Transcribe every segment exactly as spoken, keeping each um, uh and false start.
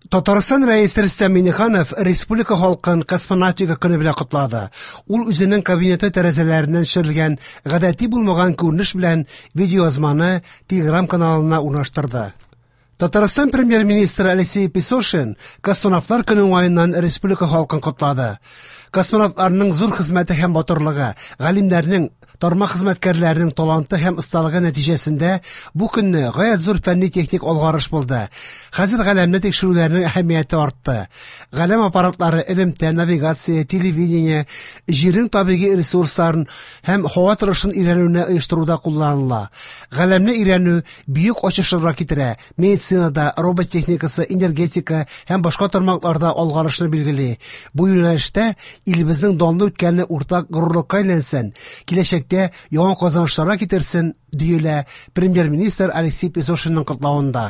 Татарстан Рәисе Рөстәм Миңнеханов республика халкын Космонавтика көне белән котлады. Ул үзенең кабинеты тәрәзәләреннән төшерелгән гадәти булмаган күренеш белән видеоязманы Telegram каналына урнаштырды. Татарстан премьер-министры Алексей Песошин космонавтлар көне уңаеннан республика халкын котлады. Космонавтларның зур хезмәте һәм батырлыгы, галимнәрнең, тармак хезмәткәрләренең таланты һәм осталыгы нәтиҗәсендә бу көнне гаять зур фәнни-техник алгарыш булды. Хәзер галәмне тикшерүләрнең әһәмияте артты. Галәм аппаратлары элемтә, навигация, телевидение, җирнең табигый ресурсларын һәм һава торышын өйрәнүне оештыруда кулланыла. Галәмне өйрәнү бөек ачышларга китерә. Медицинада, робот техникасы, энергетика һәм башка тармакларда алгарышны билгели. Бу юнәлештә илебезнең данлы үткәне уртак горурлыкка әйләнсен, киләчәктә яңа казанышларга китерсен, диелә премьер-министр Алексей Песошинның котлавында.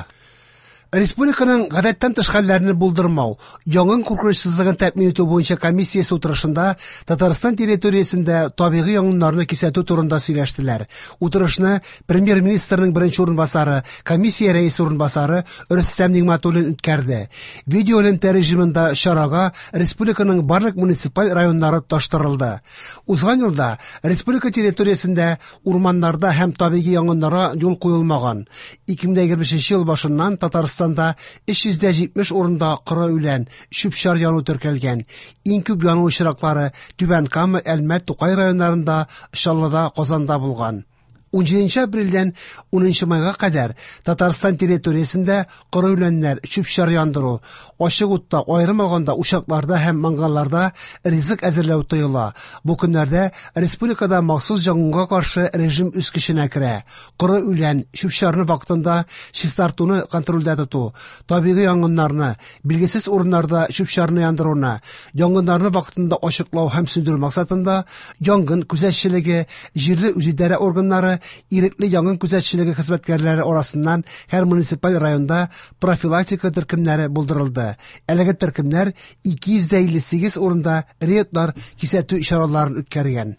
Республиканың гадәттән тыш хәлләрне булдырмау, янгын куркынычсызлыгын тәэмин итү буенча комиссиясе утырышында Татарстан территориясендә табигый янгыннарны кисәтү турында сөйләштеләр. Утырышны премьер-министрның беренче урынбасары, комиссия рәисе урынбасары Рөстәм Нигъмәтуллин үткәрде. Видеоэлемтә режимында чарага республиканың барлык муниципаль районнары тоташтырылды. Узган елда республика территориясендә урманнарда һәм табигый янгыннарга юл куелмаган. ике мең егерме бишенче ел башыннан Татарстан өч йөз җитмеш урында коры үлән, чүп-чар яну теркәлгән. Иң күп яну очраклары Түбән Кама, Әлмәт, Тукай районнарында, Чаллыда, Казанда булган. Унҗиденче апрельдән унынчы майга кадәр Татарстан территориясендә коры үләннәр, чүп-чар яндыру, ачык утта, аерым алганда учакларда һәм мангалларда ризык әзерләү тыела. Бу көннәрдә республикада махсус янгынга каршы режим үз көченә керә. Коры үлән, чүп-чарны вакытында чистартуны контрольдә тоту, табигый янгыннарны, билгесез урыннарда чүп-чарны яндыруны, янгыннарны вакытында ачыклау һәм сүндерү максатында янгын күзәтчелеге, җирле үзидарә органнары, ирекле янгын күзәтчелеге хезмәткәрләре арасыннан һәр муниципаль районда профилактика төркемнәре булдырылды. Әлеге төркемнәр ике йөз илле сигез урында рейдлар, кисәтү чараларын үткәргән.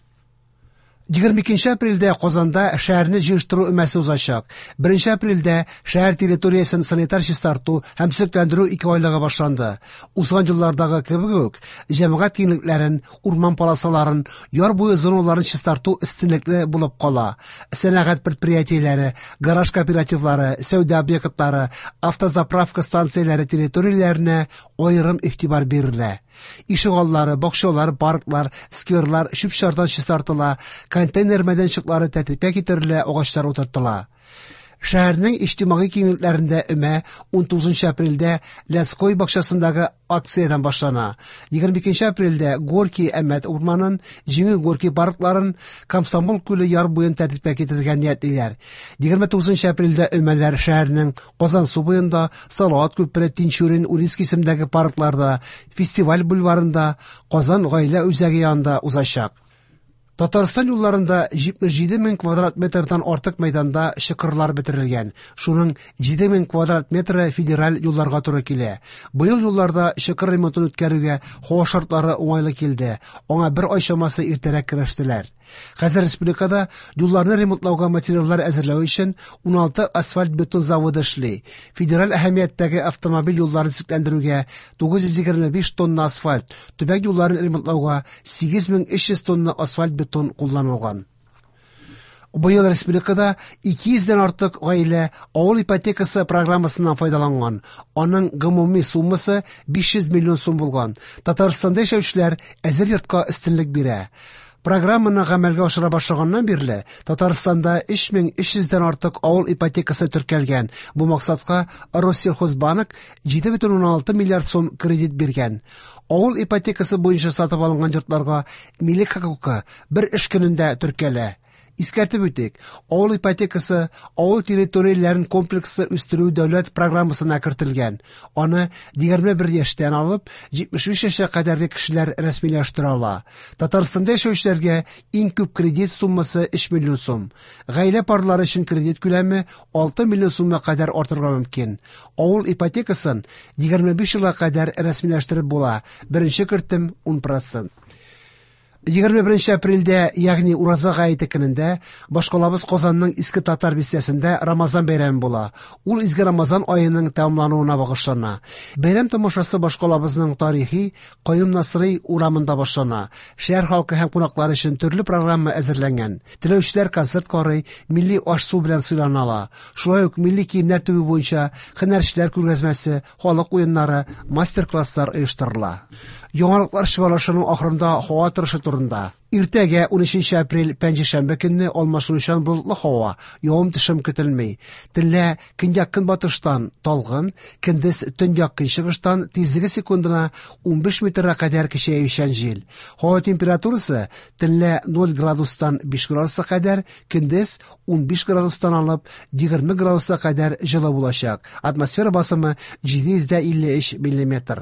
Егерме икенче апрельдә Казанда шәһәрне җыештыру өмәсе узачак. Беренче апрельдә шәһәр территориясен санитар чистарту һәм төзекләндерү ике айлыгы башланды. Узган еллардагы кебек үк, җәмәгать киңлекләрен, урман полосаларын, яр буе зоналарын чистарту өстенлекле булып кала. Сәнәгать предприятиеләре, гараж кооперативлары, сәүдә объектлары, автозаправка станцияләре территорияләренә аерым игътибар бирелә. Ишегаллары, бакчалар, парклар, скверлар чүп-чардан чистартыла, контейнер мәйданчыклары тәртипкә китерелә, агачлар утыртыла. Шәһәрнең иҗтимагый киңлекләрендә өмә унтугызынчы апрельдә Лядской бакчасындагы акциядән башлана. Егерме икенче апрельдә Горький Әмәт урманын, Җиңү Горький паркларын, Комсомол күле яр буен тәртипкә китерергә ниятлиләр. Егерме тугызынчы апрельдә өмәләр шәһәрнең Казан су буенда, Салават күпере, Тинчурин, Урицкий исемендәге паркларда, Фестиваль бульварында, Казан гаилә үзәге янында узачак. Татарстан юлларында җитмеш җиде мең квадрат метрдан артык мәйданда чокырлар бетерелгән. Шуның җиде мең квадрат метры федераль юлларга туры килә. Быел юлларда чокыр ремонтын үткәрүгә һава шартлары уңайлы килде. Аңа бер ай чамасы иртәрәк керештеләр. Хәзер республикада юлларны ремонтлауга материаллар әзерләү өчен уналты асфальт-бетон заводы эшли. Федераль әһәмияттәге автомобиль юлларын төзекләндерүгә тугыз йөз егерме биш тонна асфальт, төбәк юлларын ремонтлауга сигез мең өч йөз тонна асфальт-бетон кулланылган. Быел республикада ике йөздән артык гаилә авыл ипотекасы программасыннан файдаланган. Аның гомуми суммасы биш йөз миллион сум булган. Татарстанда яшәүчеләр әзер йортка өстенлек бирә. Программаны гамәлгә ашыра башлаганнан бирле Татарстанда өч мең өч йөздән артык авыл ипотекасы теркәлгән. Бу максатка Россельхозбанк җиде бөтен уннан алты миллиард сум кредит биргән. Авыл ипотекасы буенча сатып алынган йортларга милек хокукы бер эш көнендә теркәлә. Искәртеп үтик, авыл ипотекасы авыл территорияләрен комплекслы үстерү дәүләт программасына кертелгән. Аны егерме бер яшьтән алып җитмеш биш яшькә кадәрге кешеләр рәсмиләштерә ала. Татарстанда яшәүчеләргә иң күп кредит суммасы өч миллион сум. Гаилә парлары өчен кредит күләме алты миллион сумга кадәр артырга мөмкин. Авыл ипотекасын егерме биш елга кадәр рәсмиләштереп була. Беренче кертем ун процент. Егерме беренче апрельдә, ягъни Ураза гаете көнендә, башкалабыз Казанның Иске Татар бистәсендә Рамазан бәйрәме була. Ул изге Рамазан аеның тәмамлануына багышлана. Бәйрәм тамашасы башкалабызның тарихи Каюм Насыйри урамында башлана. Шәһәр халкы һәм кунаклар өчен төрле программа әзерләнгән. Теләүчеләр концерт карый, милли аш-су белән сыйлана ала. Шулай ук милли киемнәр тегү буенча һөнәрчеләр күргәзмәсе, халык уеннары, мастер-класслар оештырыла. Яңалыклар чыгарылышының ахырында һава торышы турында. Иртәгә унөченче апрель пәнҗешәмбе көнне алмашынучан болытлы һава, явым-төшем көтелми. Төнлә көньяк-көнбатыштан талгын, көндез төньяк-көнчыгыштан тизлеге секундына унбиш метрга кадәр көчәючән җил. Һава температурасы төнлә ноль градустан биш градуска кадәр, көндез унбиш градустан алып егерме градуска кадәр җылы булачак. Атмосфера басымы җиде йөз дә илле өч миллиметр.